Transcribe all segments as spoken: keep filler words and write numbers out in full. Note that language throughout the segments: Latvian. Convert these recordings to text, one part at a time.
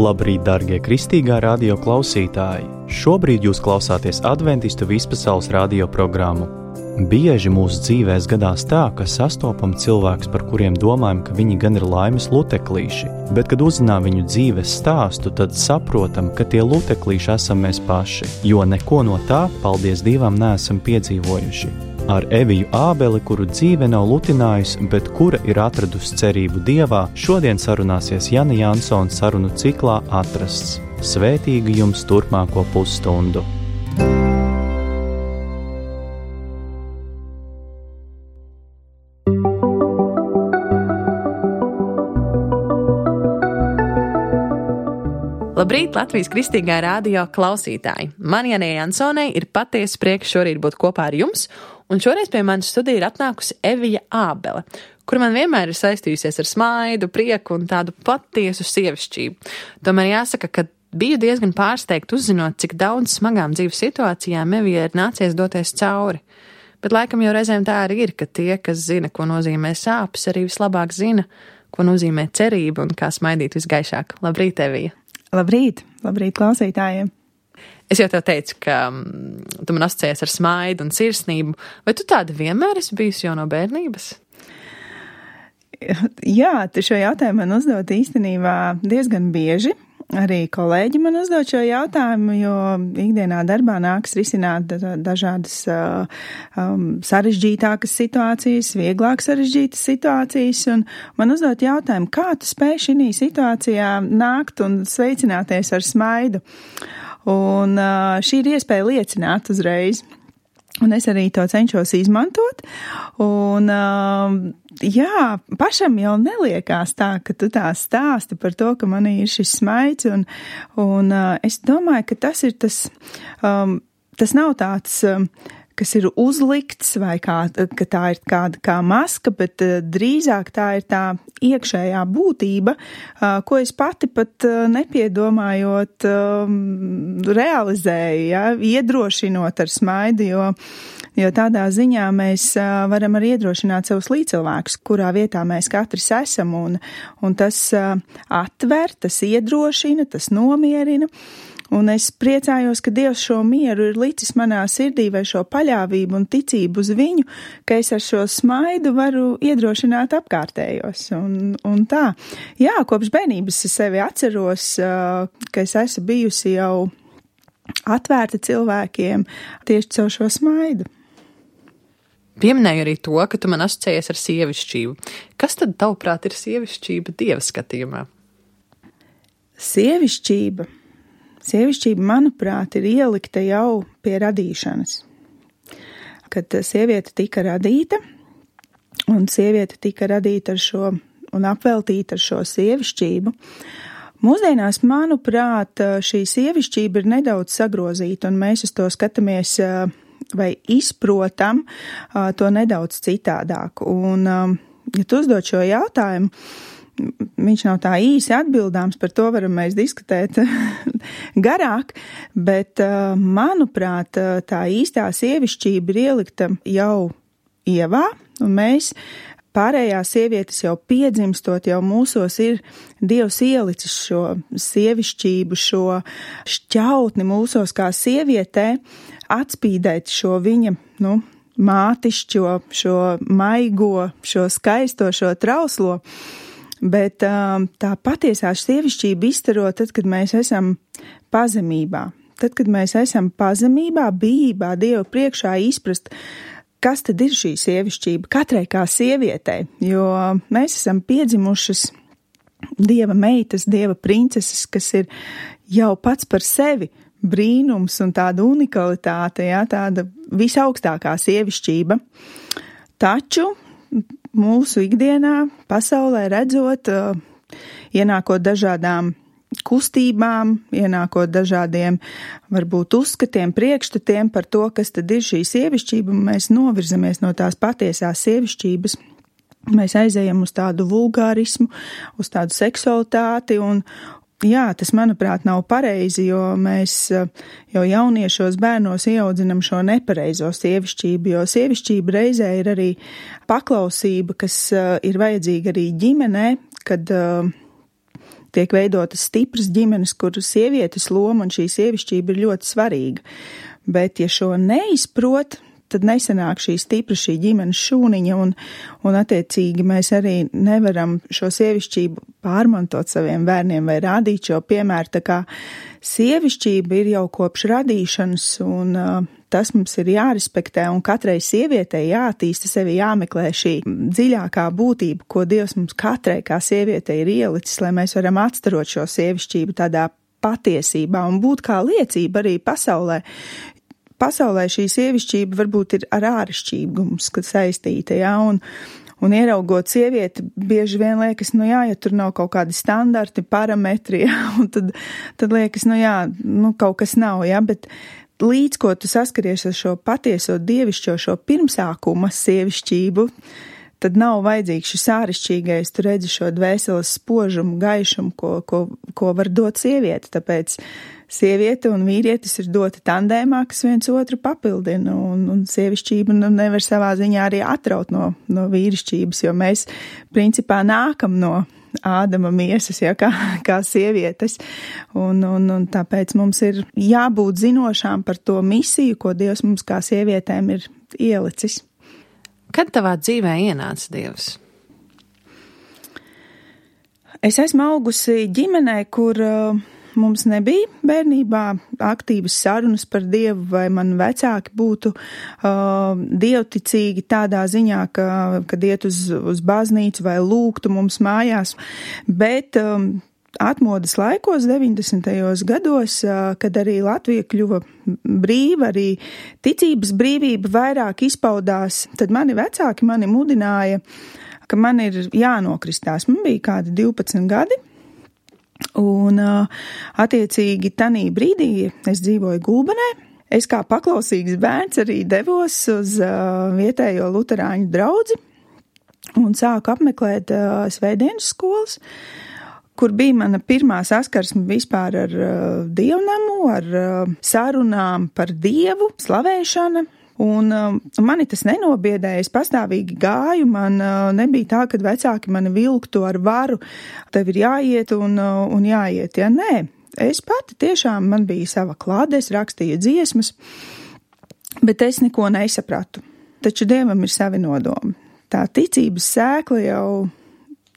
Labrīt, darbie kristīgā radio klausītāji! Šobrīd jūs klausāties Adventistu vispasaules radio programmu. Bieži mūsu dzīvēs gadās tā, ka sastopam cilvēkus, par kuriem domājam, ka viņi gan ir laimes luteklīši, bet, kad uzzinām viņu dzīves stāstu, tad saprotam, ka tie luteklīši esam mēs paši, jo neko no tā, paldies Dievam, neesam piedzīvojuši. Ar Eviju Ābeli, kuru dzīve nav lutinājusi, bet kura ir atradusi cerību Dievā, šodien sarunāsies Jana Jansona sarunu ciklā Atrasts. Svētīgi jums turpmāko pusstundu! Labrīt, Latvijas kristīgā radio klausītāji! Man, Janai Jansonai, ir patiesa prieks šorīt būt kopā ar jums, un šoreiz pie manas studija ir atnākusi Evija Ābele, kur man vienmēr ir saistījusies ar smaidu, prieku un tādu patiesu sievišķību. Tomēr jāsaka, ka biju diezgan pārsteigta uzzinot, cik daudz smagām dzīves situācijām Evija ir nācies doties cauri. Bet laikam jau reizēm tā arī ir, ka tie, kas zina, ko nozīmē sāpes, arī vislabāk zina, ko nozīmē cerība un kā smaidīt visgaišāk. Labrīt, Evija! Labrīt, labrīt klausītājiem. Es jau tev teicu, ka tu man asociējies ar smaidu un sirsnību. Vai tu tāda vienmēr esi bijusi jau no bērnības? Jā, tu šo jautājumu man uzdot īstenībā diezgan bieži. Arī kolēģi man uzdod šo jautājumu, jo ikdienā darbā nāks risināt dažādas uh, um, sarežģītākas situācijas, vieglāk sarežģītas situācijas, un man uzdod jautājumu, kā tu spēj šī situācijā nākt un sveicināties ar smaidu. Un uh, šī ir iespēja liecināt uzreiz. Un es arī to cenšos izmantot, un uh, jā, pašam jau neliekās tā, ka tu tā stāsti par to, ka man ir šis smaids, un, un uh, es domāju, ka tas ir tas, um, tas nav tāds, um, kas ir uzlikts, vai kā, ka tā ir kāda kā maska, bet uh, drīzāk tā ir tā iekšējā būtība, uh, ko es pati pat uh, nepiedomājot um, realizēju, ja, iedrošinot ar smaidu, jo, jo tādā ziņā mēs uh, varam arī iedrošināt savus līdzcilvēkus, kurā vietā mēs katrs esam, un, un tas uh, atver, tas iedrošina, tas nomierina. Un es priecājos, ka Dievs šo mieru ir licis manā sirdī vai šo paļāvību un ticību uz viņu, ka es ar šo smaidu varu iedrošināt apkārtējos. Un, un tā, jā, kopš bērnības es sevi atceros, ka es esmu bijusi jau atvērta cilvēkiem tieši caur šo smaidu. Pieminēju arī to, ka tu man asociējies ar sievišķību. Kas tad tavuprāt ir sievišķība Dieva skatījumā? Sievišķība. Sievišķība, manuprāt, ir ielikta jau pie radīšanas. Kad sieviete tika radīta, un sieviete tika radīta ar šo, un apveltīta ar šo sievišķību, mūsdienās, manuprāt, šī sievišķība ir nedaudz sagrozīta, un mēs uz to skatāmies vai izprotam to nedaudz citādāk. Un, ja tu uzdod šo jautājumu, viņš nav tā īsi atbildāms, par to varam mēs diskutēt garāk, bet, manuprāt, tā īstā sievišķība ir ielikta jau Ievā, un mēs pārējās sievietes jau piedzimstot, jau mūsos ir Dievs ielicis šo sievišķību, šo šķautni mūsos kā sievietē, atspīdēt šo viņa, nu, mātišķo, šo maigo, šo skaisto, šo trauslo. Bet tā patiesā sievišķība izstaro tad, kad mēs esam pazemībā. Tad, kad mēs esam pazemībā, bijībā, Dieva priekšā izprast, kas tad ir šī sievišķība katrai kā sievietei, jo mēs esam piedzimušas Dieva meitas, Dieva princeses, kas ir jau pats par sevi brīnums un tāda unikalitāte, jā, tāda visaugstākā sievišķība. Taču mūsu ikdienā, pasaulē redzot, ienākot dažādām kustībām, ienākot dažādiem, varbūt uzskatiem, priekšstatiem par to, kas tad ir šī sievišķība, mēs novirzamies no tās patiesās sievišķības. Mēs aizejam uz tādu vulgārismu, uz tādu seksualitāti un, jā, tas, manuprāt, nav pareizi, jo mēs jau jauniešos bērnos ieaudzinam šo nepareizo sievišķību, jo sievišķība reizē ir arī paklausība, kas ir vajadzīga arī ģimenē, kad tiek veidotas stipras ģimenes, kur sievietes loma un šī sievišķība ir ļoti svarīga. Bet, ja šo neizprot, tad nesanāk šī stipra, šī ģimenes šūniņa, un, un attiecīgi mēs arī nevaram šo sievišķību pārmantot saviem bērniem vai rādīt šo piemēru. Tā kā sievišķība ir jau kopš radīšanas, un uh, tas mums ir jārespektē, un katrai sievietei jātīsta sevi, jāmeklē šī dziļākā būtība, ko Dievs mums katrai kā sievietei ir ielicis, lai mēs varam atstarot šo sievišķību tādā patiesībā un būt kā liecība arī pasaulē. Pasaulē šī sievišķība varbūt ir ar āršķirību mums, kad saistīta, jā, un, un ieraugot sievieti, bieži vien liekas, nu jā, ja tur nav kaut kādi standarti, parametri, jā, un tad, tad liekas, nu jā, nu kaut kas nav, jā, bet līdz ko tu saskaries ar šo patieso dievišķo, šo pirmsākuma sievišķību, tad nav vajadzīgs šis āršķirīgais, tu redzi šo dvēseles spožumu, gaišumu, ko, ko, ko var dot sieviete, tāpēc sieviete un vīrietis ir doti tandēmā, kas viens otru papildina, un, un sievišķība nu, nevar savā ziņā arī atraut no, no vīrišķības, jo mēs principā nākam no Ādama miesas, ja, kā, kā sievietes, un, un, un tāpēc mums ir jābūt zinošām par to misiju, ko Dievs mums kā sievietēm ir ielicis. Kad tavā dzīvē ienāca Dievs? Es esmu augusi ģimenē, kur uh, mums nebija bērnībā aktīvas sarunas par Dievu, vai man vecāki būtu uh, dievticīgi tādā ziņā, ka, kad iet uz, uz baznīcu vai lūgtu mums mājās, bet um, atmodas laikos, deviņdesmitajos gados, kad arī Latvija kļuva brīva, arī ticības brīvība vairāk izpaudās, tad mani vecāki mani mudināja, ka man ir jānokristās. Man bija kādi divpadsmit gadi, un attiecīgi tanī brīdī es dzīvoju Gulbenē. Es kā paklausīgs bērns arī devos uz vietējo luterāņu draudzi un sāku apmeklēt svētdienas skolas, kur bija mana pirmā saskarsme vispār ar uh, dievnamu, ar uh, sarunām par Dievu, slavēšana, un uh, mani tas nenobiedēja, es pastāvīgi gāju, man uh, nebija tā, kad vecāki mani vilktu ar varu, tev ir jāiet un, uh, un jāiet, ja nē, es pati tiešām, man bija sava klāde, es rakstīju dziesmas, bet es neko nesapratu, taču Dievam ir savi nodomi. Tā ticības sēkla jau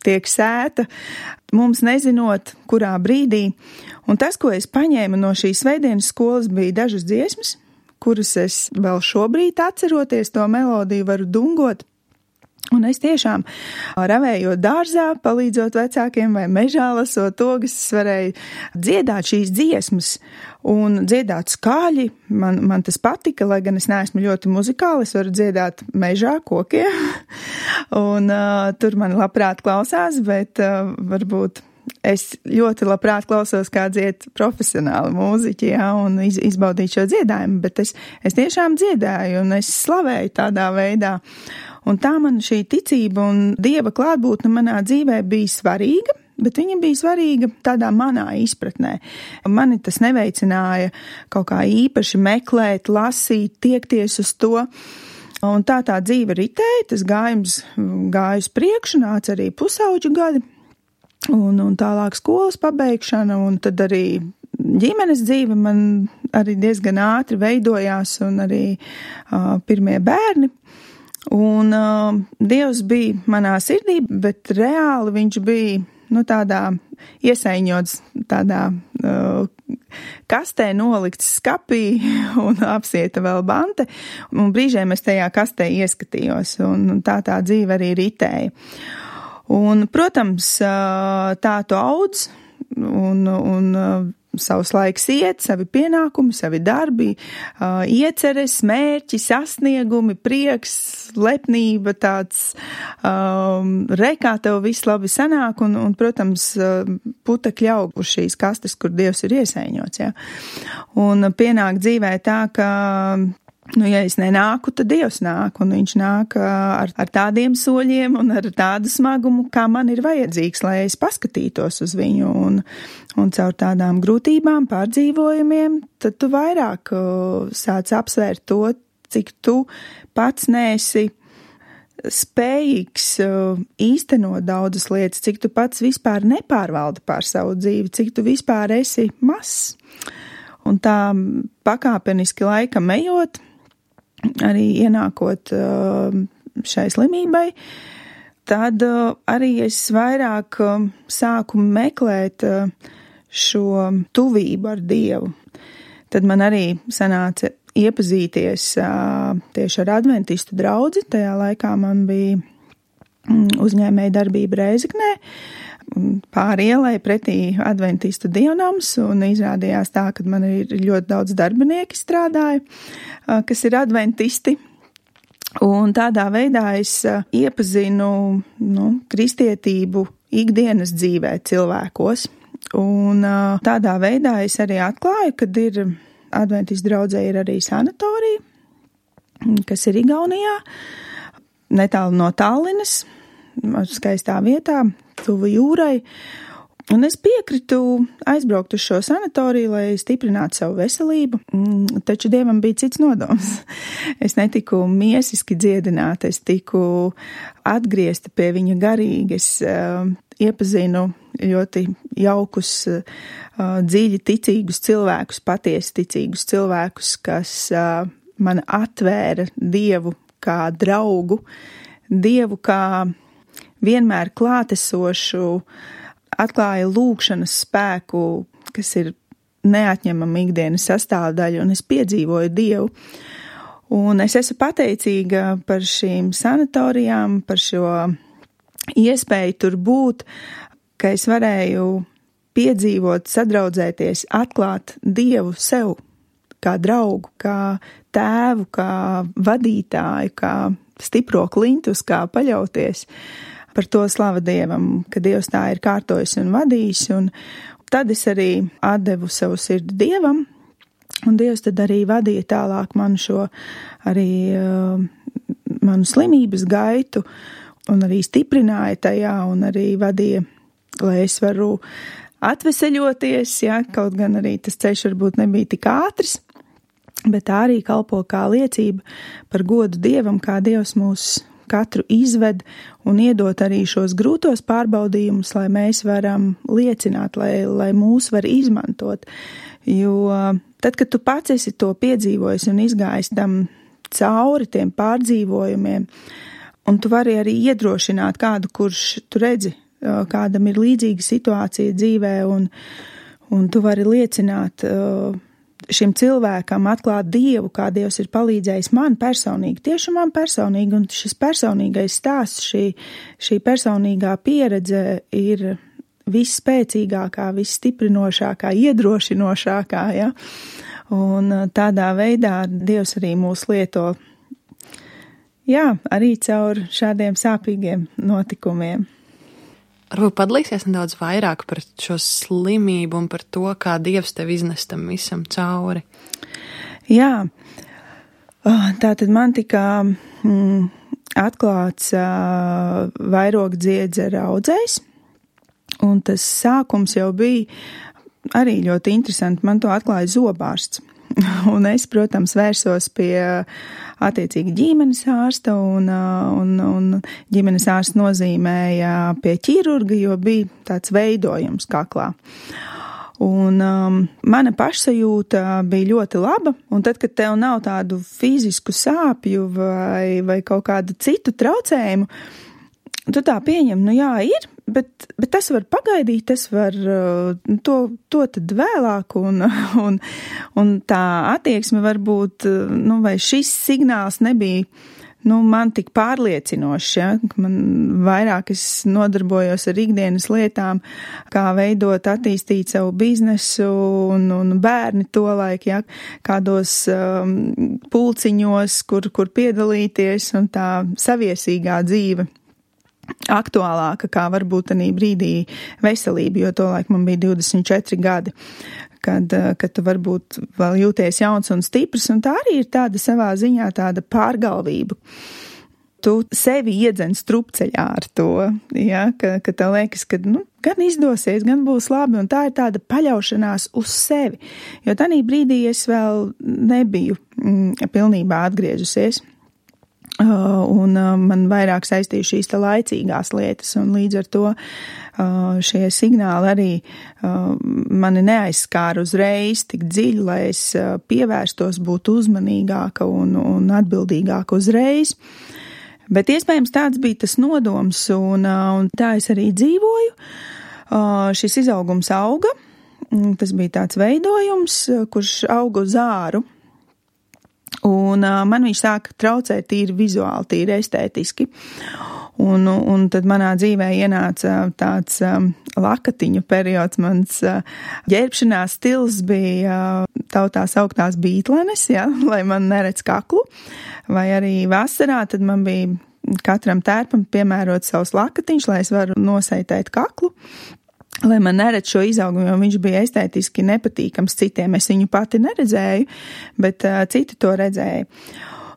tiek sēta, mums nezinot, kurā brīdī. Un tas, ko es paņēmu no šīs svētdienas skolas, bija dažas dziesmas, kuras es vēl šobrīd atceroties to melodiju varu dungot. Un es tiešām ravējot dārzā, palīdzot vecākiem vai mežā lasot ogas, es varēju dziedāt šīs dziesmas un dziedāt skaļi. Man, man tas patika, lai gan es neesmu ļoti muzikāli, es varu dziedāt mežā kokiem. un uh, tur man labprāt klausās, bet uh, varbūt es ļoti labprāt klausos, kā dzied profesionāli mūziķi, jā, un iz, izbaudīt šo dziedājumu, bet es, es tiešām dziedāju un es slavēju tādā veidā. Un tā man šī ticība un Dieva klātbūtne manā dzīvē bija svarīga, bet viņa bija svarīga tādā manā izpratnē. Mani tas neveicināja kaut kā īpaši meklēt, lasīt, tiekties uz to. Un tā tā dzīve ritēja, tas gājums gāja uz priekšu, nāca arī pusauģu gadi. Un, un tālāk skolas pabeigšana, un tad arī ģimenes dzīve man arī diezgan ātri veidojās, un arī uh, pirmie bērni. Un uh, Dievs bija manā sirdī, bet reāli viņš bija, nu, tādā iesaiņots, tādā uh, kastē nolikts skapī un apsieta vēl bante, un brīžiem es tajā kastē ieskatījos, un, un tā tā dzīve arī ritēja. Un, protams, tā tu audz un, un savus laiks iet, savi pienākumi, savi darbi, ieceres, mērķi, sasniegumi, prieks, lepnība, tāds um, rekā tev viss labi sanāk un, un protams, putekļi aug uz šīs kastes, kur Dievs ir iesaiņots, jā. Un pienāk dzīvē tā, ka nu, ja es nenāku, tad Dievs nāk, un viņš nāk ar, ar tādiem soļiem un ar tādu smagumu, kā man ir vajadzīgs, lai es paskatītos uz viņu, un, un caur tādām grūtībām, pārdzīvojumiem, tad tu vairāk uh, sāc apsvērt to, cik tu pats neesi spējīgs īstenot daudzas lietas, cik tu pats vispār nepārvaldi pār savu dzīvi, cik tu vispār esi mazs. Un tā pakāpeniski laikam ejot, arī ienākot šai slimībai, tad arī es vairāk sāku meklēt šo tuvību ar Dievu. Tad man arī sanāca iepazīties tieši ar adventistu draudzi. Tajā laikā man bija uzņēmēja darbība Rēzeknē, pāri ielai pretī adventistu dievnams, un izrādījās tā, ka man ir ļoti daudz darbinieki strādāja, kas ir adventisti. Un tādā veidā es iepazinu nu, kristietību ikdienas dzīvē cilvēkos. Un tādā veidā es arī atklāju, kad ir adventistu draudzē ir arī sanatorija, kas ir Igaunijā, netālu no Tallinas, skaistā vietā, tuvu jūrai. Un es piekritu aizbraukt uz šo sanatoriju, lai stiprinātu savu veselību, taču Dievam bija cits nodoms. Es netiku miesiski dziedināta, es tiku atgriezta pie viņa garīgi, es uh, iepazinu ļoti jaukus, uh, dziļi ticīgus cilvēkus, patiesi ticīgus cilvēkus, kas uh, man atvēra Dievu kā draugu, Dievu kā vienmēr klātesošu, atklāja lūgšanas spēku, kas ir neatņemama ikdienas sastāvdaļa, un es piedzīvoju Dievu. Un es esmu pateicīga par šīm sanatorijām, par šo iespēju tur būt, ka es varēju piedzīvot, sadraudzēties, atklāt Dievu sev kā draugu, kā tēvu, kā vadītāju, kā stipro klintus, kā paļauties. Par to slava Dievam, ka Dievs tā ir kārtojis un vadījis, un tad es arī atdevu savu sirdi Dievam, un Dievs tad arī vadīja tālāk manu šo arī uh, manu slimības gaitu, un arī stiprināja tajā, un arī vadīja, lai es varu atveseļoties, ja, kaut gan arī tas ceļš varbūt nebija tik ātrs, bet tā arī kalpo kā liecība par godu Dievam, kā Dievs mūs katru izved un iedot arī šos grūtos pārbaudījumus, lai mēs varam liecināt, lai, lai mūs var izmantot. Jo tad, kad tu pats esi to piedzīvojis un izgājis tam cauri tiem pārdzīvojumiem, un tu vari arī iedrošināt kādu, kurš tu redzi, kādam ir līdzīga situācija dzīvē, un, un tu vari liecināt šim cilvēkam atklāt Dievu, kā Dievs ir palīdzējis man personīgi, tieši man personīgi, un šis personīgais stāsts, šī, šī personīgā pieredze ir visspēcīgākā, visstiprinošākā, iedrošinošākā, ja, un tādā veidā Dievs arī mūs lieto, jā, arī caur šādiem sāpīgiem notikumiem. Varbūt padalīsies nedaudz vairāk par šo slimību un par to, kā Dievs tev iznes tam visam cauri. Jā, tātad man tika mm, atklāts uh, vairogdziedzera audzējs, un tas sākums jau bija arī ļoti interesanti. Man to atklāja zobārsts. Un es, protams, vērsos pie attiecīgi ģimenes ārsta, un, un, un ģimenes ārsts nozīmēja pie ķirurga, jo bija tāds veidojums kaklā. Un um, mana pašsajūta bija ļoti laba, un tad, kad tev nav tādu fizisku sāpju vai, vai kaut kādu citu traucējumu, tu tā pieņem, nu jā, ir, bet, bet tas var pagaidīt, tas var to, to tad vēlāk, un, un, un tā attieksme varbūt, nu, vai šis signāls nebija, nu, man tik pārliecinošs, ja, man vairāk es nodarbojos ar ikdienas lietām, kā veidot, attīstīt savu biznesu, un, un bērni tolaik, ja, kādos um, pulciņos, kur, kur piedalīties, un tā saviesīgā dzīve aktuālāka, kā varbūt tanī brīdī veselība, jo tolaik man bija divdesmit četri gadi, kad, kad tu varbūt vēl jūties jauns un stiprs, un tā arī ir tāda savā ziņā tāda pārgalvība. Tu sevi iedzen strupceļā ar to, ja, ka, ka tev liekas, ka nu, gan izdosies, gan būs labi, un tā ir tāda paļaušanās uz sevi, jo tanī brīdī es vēl nebiju mm, pilnībā atgriežusies. un man vairāk saistīja šīs te laicīgās lietas, un līdz ar to šie signāli arī mani neaizskāra uzreiz tik dziļi, lai es pievērstos, būtu uzmanīgāka un, un atbildīgāka uzreiz. Bet iespējams tāds bija tas nodoms, un, un tā es arī dzīvoju. Šis izaugums auga, tas bija tāds veidojums, kurš auga uz āru. Un uh, man viņš sāka traucēt tīri vizuāli, tīri estētiski. Un, un tad manā dzīvē ienāca tāds um, lakatiņu periods, mans uh, ģērbšanās stils bija uh, tautās augtās bītlenes, ja, lai man neredz kaklu. Vai arī vasarā, tad man bija katram tērpam piemērot savus lakatiņus, lai es varu noseitēt kaklu. Lai man neredz šo izaugumu, jo viņš bija estētiski nepatīkams citiem. Es viņu pati neredzēju, bet uh, citi to redzēja.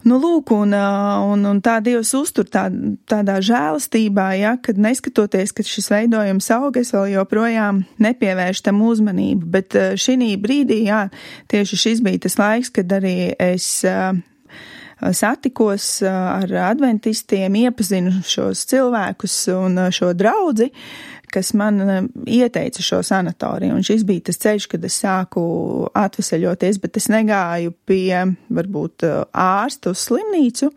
Nu, lūk, un, uh, un, un tā Dievs uztur tā, tādā žēlastībā, ja, kad neskatoties, ka šis veidojums aug, es vēl joprojām nepievēršu tam uzmanību. Bet uh, šī brīdī, jā, tieši šis bija tas laiks, kad arī es uh, satikos uh, ar adventistiem, iepazinu šos cilvēkus un uh, šo draudzi, kas man ieteica šo sanatoriju, un šis bija tas ceļš, kad es sāku atveseļoties, bet es negāju pie, varbūt, ārsta uz slimnīcu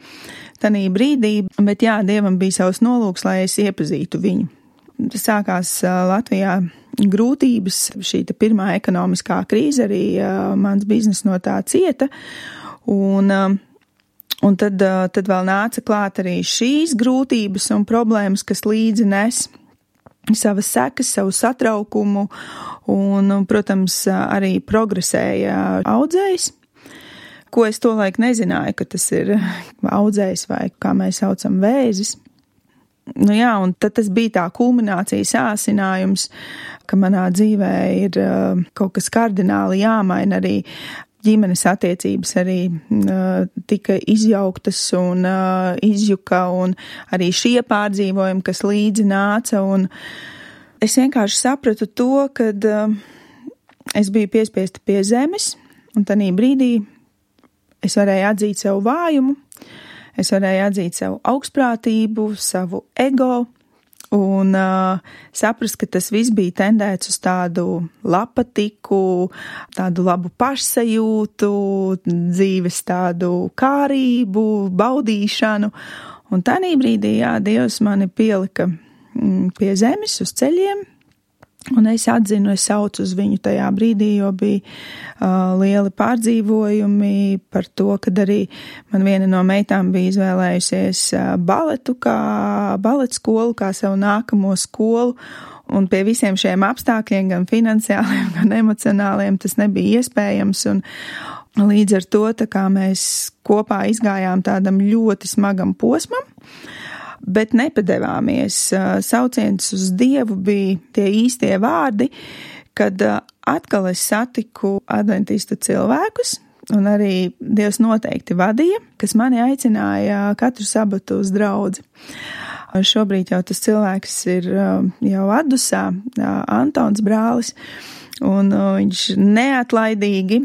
tanī brīdī, bet jā, Dievam bija savs nolūks, lai es iepazītu viņu. Sākās Latvijā grūtības, šī pirmā ekonomiskā krīze, arī mans biznes no tā cieta, un Un tad, tad vēl nāca klāt arī šīs grūtības un problēmas, kas līdzi nes savas sekas, savu satraukumu un, protams, arī progresēja audzējs, ko es tolaik nezināju, ka tas ir audzējs vai kā mēs saucam vēzis. Nu jā, un tad tas bija tā kulminācijas āsinājums, ka manā dzīvē ir kaut kas kardināli jāmaina, arī ģimenes attiecības arī uh, tika izjauktas un uh, izjuka, un arī šie pārdzīvojumi, kas līdzi nāca, un es vienkārši sapratu to, kad uh, es biju piespiesta pie zemes, un tanī brīdī es varēju atzīt savu vājumu, es varēju atzīt savu augstprātību, savu ego, un uh, saprast, ka tas viss bija tendēts uz tādu lapatiku, tādu labu pašsajūtu, dzīves tādu kārību, baudīšanu. Un tanī brīdī, jā, Dievs mani pielika mm, pie zemes uz ceļiem, un es atzinu, es saucu uz viņu tajā brīdī, jo bija uh, lieli pārdzīvojumi par to, kad arī man viena no meitām bija izvēlējusies uh, baletu kā baleta skolu, kā savu nākamo skolu, un pie visiem šiem apstākļiem, gan finansiāliem, gan emocionāliem, tas nebija iespējams, un līdz ar to, tā kā mēs kopā izgājām tādam ļoti smagam posmam, bet nepadevāmies. Sauciens uz Dievu bija tie īstie vārdi, kad atkal es satiku adventistu cilvēkus, un arī Dievs noteikti vadīja, kas mani aicināja katru sabatu uz draudzi. Šobrīd jau tas cilvēks ir jau Adusā, Antons brālis, un viņš neatlaidīgi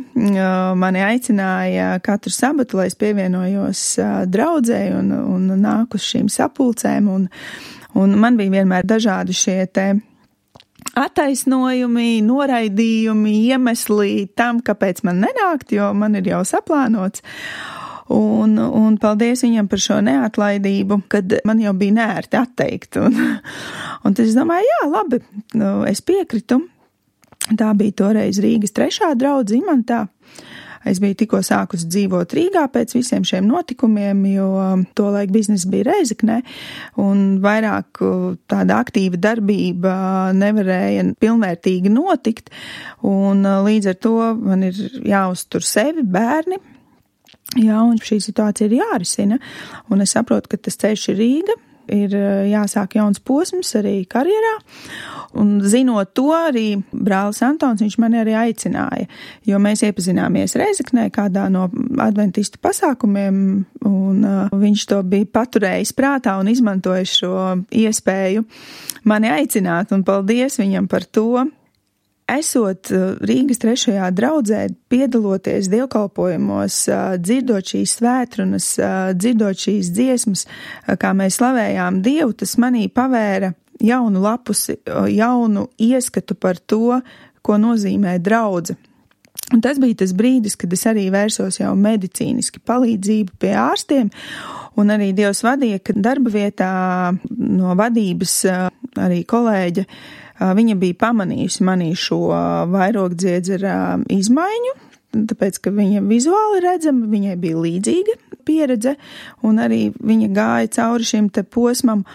mani aicināja katru sabatu, lai es pievienojos draudzē un, un nāku uz šīm sapulcēm, un, un man bija vienmēr dažādi šie te attaisnojumi, noraidījumi, iemesli tam, kāpēc man nenākt, jo man ir jau saplānots. Un, un paldies viņam par šo neatlaidību, kad man jau bija nērti atteikt. Un, un tad es domāju, jā, labi, es piekritu. Tā bija toreiz Rīgas trešā draudze Imantā. Es biju tikko sākus dzīvot Rīgā pēc visiem šiem notikumiem, jo tolaik biznesa bija Rēzeknē, un vairāk tāda aktīva darbība nevarēja pilnvērtīgi notikt, un līdz ar to man ir jāuztur sevi, bērni, jā, un šī situācija ir jārisina, un es saprotu, ka tas ceļš ir Rīga, ir jāsāk jauns posms arī karjerā, un zinot to arī brālis Antons, viņš mani arī aicināja, jo mēs iepazināmies Rēzeknē kādā no adventistu pasākumiem, un uh, viņš to bija paturējis prātā un izmantojis šo iespēju mani aicināt, un paldies viņam par to. esot Rīgas trešajā draudzē, piedaloties dievkalpojumos, dzirdot šīs svētrunas, dzirdot šīs dziesmas, kā mēs slavējām Dievu, tas manī pavēra jaunu lapusi, jaunu ieskatu par to, ko nozīmē draudze. Un tas bija tas brīdis, kad es arī vērsos jau medicīniski palīdzību pie ārstiem, un arī Dievs vadīja, ka darba vietā no vadības arī kolēģe, viņa bija pamanījusi manī šo vairogdziedzera izmaiņu, tāpēc, ka viņa vizuāli redzama, viņai bija līdzīga pieredze, un arī viņa gāja cauri šim te posmam,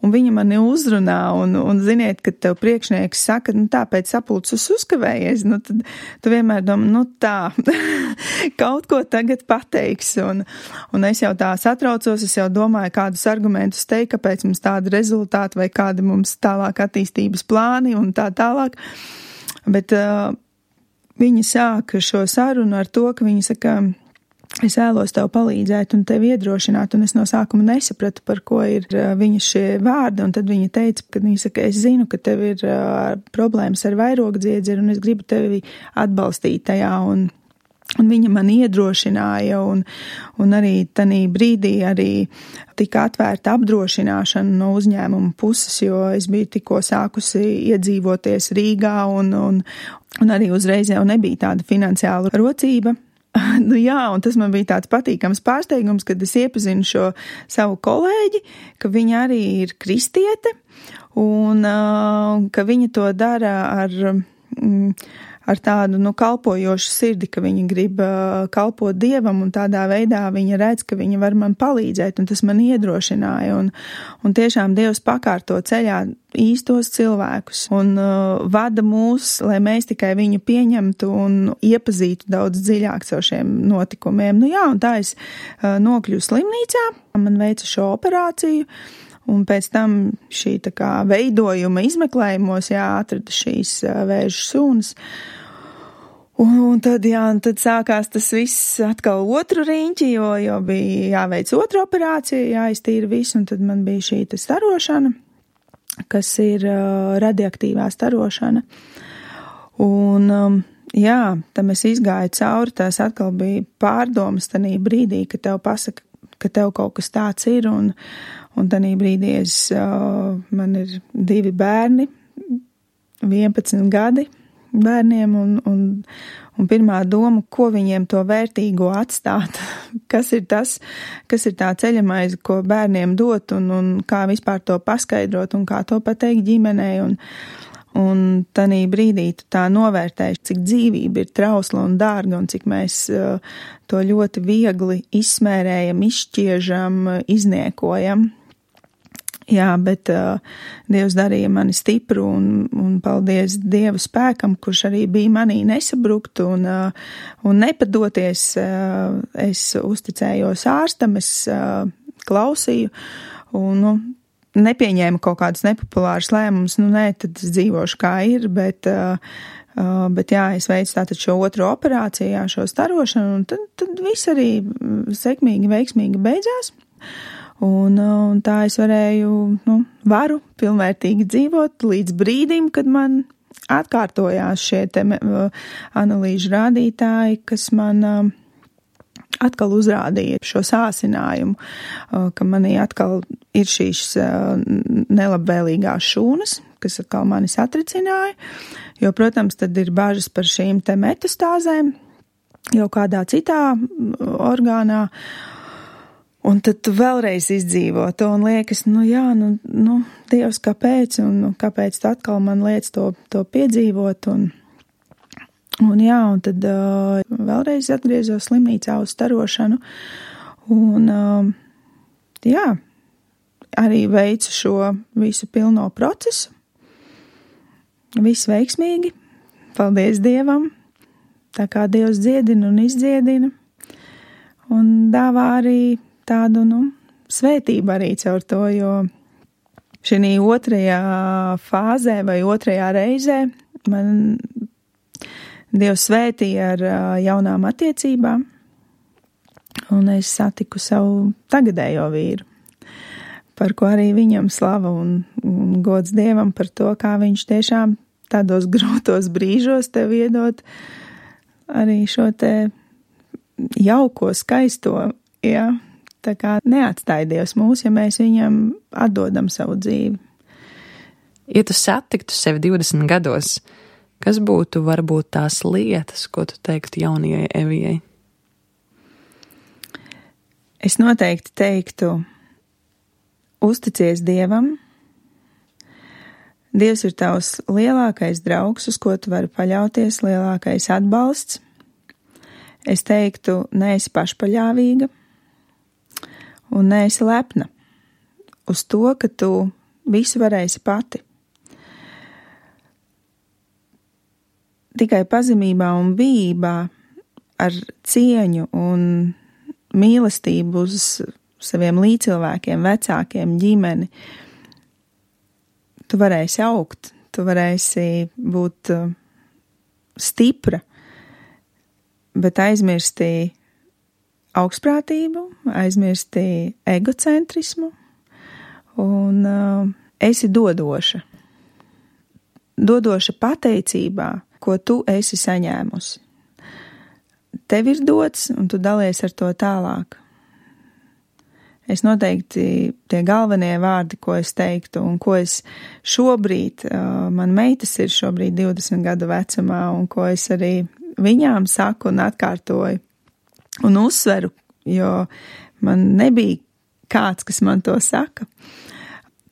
un viņa mani uzrunā, un, un ziniet, kad tev priekšnieks saka, nu tā, pēc sapulces uzkavējies, nu tad tu vienmēr domā, nu tā, kaut ko tagad pateiks, un, un es jau tā satraucos, es jau domāju, kādus argumentus teikt, kāpēc mums tādi rezultāti, vai kādi mums tālāk attīstības plāni, un tā tālāk, bet uh, viņi sāka šo sarunu ar to, ka viņi saka, es vēlos tev palīdzēt un tevi iedrošināt, un es no sākuma nesapratu, par ko ir viņa šie vārdi, un tad viņa teica, ka viņa saka, es zinu, ka tev ir uh, problēmas ar vairogdziedzeru, un es gribu tevi atbalstīt tajā, un, un viņa man iedrošināja, un, un arī tanī brīdī arī tika atvērta apdrošināšana no uzņēmuma puses, jo es biju tikko sākusi iedzīvoties Rīgā, un, un, un arī uzreiz jau nebija tāda finansiāla rocība. Nu jā, un tas man bija tāds patīkams pārsteigums, kad es iepazinu šo savu kolēģi, ka viņa arī ir kristiete, un uh, ka viņa to dara ar, mm, ar tādu, nu, kalpojošu sirdi, ka viņa grib uh, kalpot Dievam, un tādā veidā viņa redz, ka viņa var man palīdzēt, un tas man iedrošināja, un, un tiešām Dievs pakārto ceļā īstos cilvēkus un uh, vada mūs, lai mēs tikai viņu pieņemtu un iepazītu daudz dziļāk caur šiem notikumiem. Nu jā, un tā es uh, nokļuvu slimnīcā, man veica šo operāciju, un pēc tam šī tā kā veidojuma izmeklējumos, jā, atrada šīs uh, vēža sūnas. Un, un tad, jā, un tad sākās tas viss atkal otru riņķi, jo, jo bija jāveic otra operācija, jāiztīra visu, un tad man bija šī ta starošana, kas ir uh, radioaktīvā starošana. Un, um, jā, tam es izgāju cauri, tās atkal bija pārdomas tanī brīdī, ka tev pasaka, ka tev kaut kas tāds ir, un, un tanī brīdī es, uh, man ir divi bērni, vienpadsmit gadi bērniem, un, un, un pirmā doma, ko viņiem to vērtīgo atstāt, kas ir tas, kas ir tā ceļamaize, ko bērniem dot, un, un kā vispār to paskaidrot, un kā to pateikt ģimenei, un, un tanī brīdī tu tā novērtēji, cik dzīvība ir trausla un dārga, un cik mēs uh, to ļoti viegli izsmērējam, izšķiežam, izniekojam. Jā, bet uh, Dievs darīja mani stipru, un, un paldies Dieva spēkam, kurš arī bija manī nesabrukt un, uh, un nepadoties. Uh, es uzticējos ārstam, es uh, klausīju un nu, nepieņēmu kaut kādus nepopulārus lēmumus. Nu, nē, tad es dzīvošu kā ir, bet, uh, uh, bet jā, es veicu tātad šo otro operāciju, jā, šo starošanu, un tad, tad viss arī sekmīgi, veiksmīgi beidzās. Un, un tā es varēju, nu, varu pilnvērtīgi dzīvot līdz brīdim, kad man atkārtojās šie te analīžu rādītāji, kas man uh, atkal uzrādīja šo sāsinājumu, uh, ka manī atkal ir šīs uh, nelabvēlīgās šūnas, kas atkal mani satricināja, jo, protams, tad ir bažas par šīm te metastāzēm jau kādā citā orgānā. Un tad tu vēlreiz izdzīvo to un liekas, nu jā, nu, nu Dievs, kāpēc, un nu, kāpēc tu atkal man liec to, to piedzīvot, un, un jā, un tad uh, vēlreiz atgriezos slimnīcā uz starošanu, un uh, jā, arī veicu šo visu pilno procesu, viss veiksmīgi, paldies Dievam, tā kā Dievs dziedina un izdziedina, un dāvā arī tādu, nu, svētību arī caur to, jo šī otrajā fāzē vai otrajā reizē man Dievs svētīja ar jaunām attiecībām, un es satiku savu tagadējo vīru, par ko arī viņam slava un, un gods Dievam par to, kā viņš tiešām tādos grūtos brīžos tev iedot arī šo te jauko, skaisto, jā. Tā kā neatstāja Dievs mūs, ja mēs viņam atdodam savu dzīvi. Ja tu satiktu sevi divdesmit gados, kas būtu varbūt tās lietas, ko tu teiktu jaunajai Evijai? Es noteikti teiktu, uzticies Dievam. Dievs ir tavs lielākais draugs, uz ko tu vari paļauties, lielākais atbalsts. Es teiktu, neesi pašpaļāvīga un neesi lepna uz to, ka tu visu varēsi pati. Tikai pazemībā un bijībā ar cieņu un mīlestību uz saviem līdzcilvēkiem, vecākiem, ģimeni, tu varēsi augt, tu varēsi būt stipra, bet aizmirsti augstprātību, aizmirsti egocentrismu un uh, esi dodoša. Dodoša pateicībā, ko tu esi saņēmusi. Tev ir dots, un tu dalies ar to tālāk. Es noteikti tie galvenie vārdi, ko es teiktu, un ko es šobrīd, uh, man meitas ir šobrīd divdesmit gadu vecumā, un ko es arī viņām saku un atkārtoju un uzsveru, jo man nebija kāds, kas man to saka,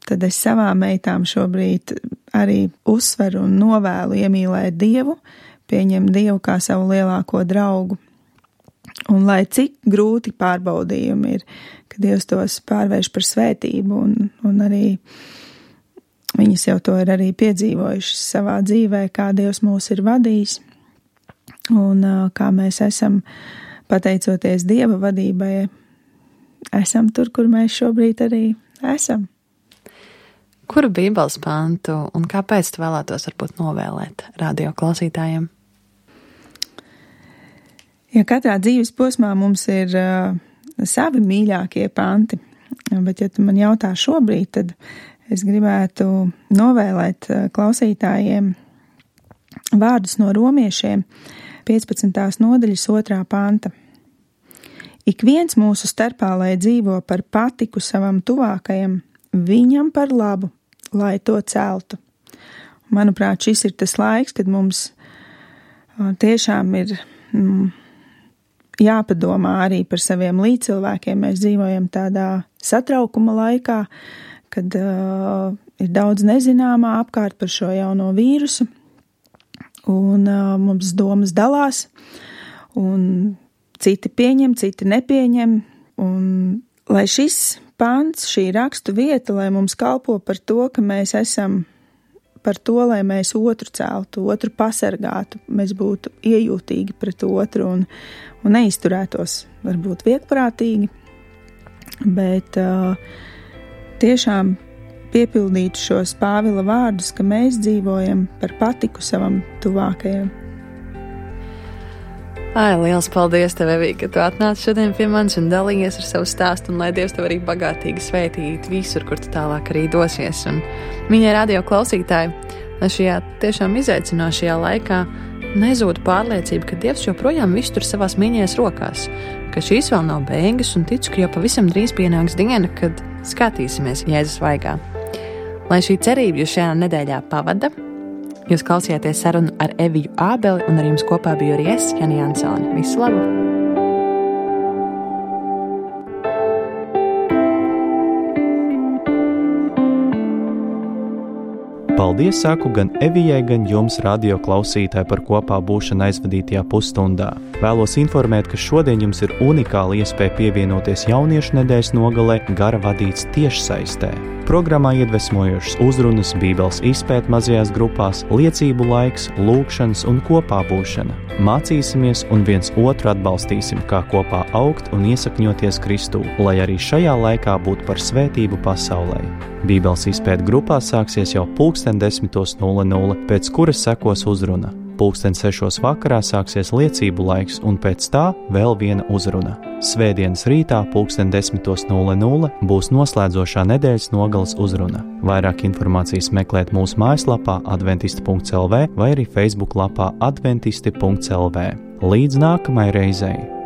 tad es savām meitām šobrīd arī uzsveru un novēlu iemīlēt Dievu, pieņemt Dievu kā savu lielāko draugu. Un lai cik grūti pārbaudījumi ir, ka Dievs tos pārvērš par svētību, un, un arī viņas jau to ir arī piedzīvojušas savā dzīvē, kā Dievs mūs ir vadījis, un kā mēs esam, pateicoties Dieva vadībai, esam tur, kur mēs šobrīd arī esam. Kuru Bībeles pantu un kāpēc tu vēlētos varbūt novēlēt radio klausītājiem? Ja katrā dzīves posmā mums ir uh, savi mīļākie panti, bet ja tu man jautā šobrīd, tad es gribētu novēlēt uh, klausītājiem vārdus no romiešiem, piecpadsmitās nodaļas otrā panta. Ik viens mūsu starpā, lai dzīvo par patiku savam tuvākajam, viņam par labu, lai to celtu. Manuprāt, šis ir tas laiks, kad mums tiešām ir mm, jāpadomā arī par saviem līdzcilvēkiem. Mēs dzīvojam tādā satraukuma laikā, kad uh, ir daudz nezināmā apkārt par šo jauno vīrusu, un uh, mums domas dalās, un citi pieņem, citi nepieņem, un lai šis pants, šī rakstu vieta, lai mums kalpo par to, ka mēs esam par to, lai mēs otru celtu, otru pasargātu, mēs būtu iejūtīgi pret otru un, un neizturētos varbūt viegprātīgi, bet uh, tiešām piepildītu šos Pāvila vārdus, ka mēs dzīvojam par patiku savam tuvākajam. Ai, liels paldies tev, Evija, ka tu atnāci šodien pie manis un dalījies ar savu stāstu, un lai Dievs tev arī bagātīgi svētīt visur, kur tu tālāk arī dosies. Un mīļie radio klausītāji, lai šajā tiešām izaicinošajā laikā nezūd pārliecība, ka Dievs joprojām visu tur savās mīļajās rokās, ka šīs vēl nav beigas, un ticu, ka jau pavisam drīz pienāks diena, kad skatīsimies Jēzus vaigā. Lai šī cerība jūs šajā nedēļā pavada, jūs klausījāties sarunu ar Eviju Ābeli, un ar jums kopā biju arī es, Jani Jansone. Visu labu! Paldies saku gan Evijai, gan jums, radio klausītāji, par kopā būšanu aizvadītajā pusstundā. Vēlos informēt, ka šodien jums ir unikāla iespēja pievienoties jauniešu nedēļas nogalē gara vadīts tiešsaistē. Programmā iedvesmojošas uzrunas, bībeles izpēte mazajās grupās, liecību laiks, lūkšanas un kopā būšana. Mācīsimies un viens otru atbalstīsim, kā kopā augt un iesakņoties Kristū, lai arī šajā laikā būtu par svētību pasaulē. Bībeles izpēte grupā sāksies jau pulksten desmitos nulle nulle, pēc kuras sekos uzruna. Pulksten sešos vakarā sāksies liecību laiks un pēc tā vēl viena uzruna. Svētdienas rītā pulksten desmitos nulle nulle būs noslēdzošā nedēļas nogales uzruna. Vairāk informācijas meklēt mūsu mājaslapā adventisti punkts el vē vai arī Facebook lapā adventisti punkts el vē. Līdz nākamai reizei!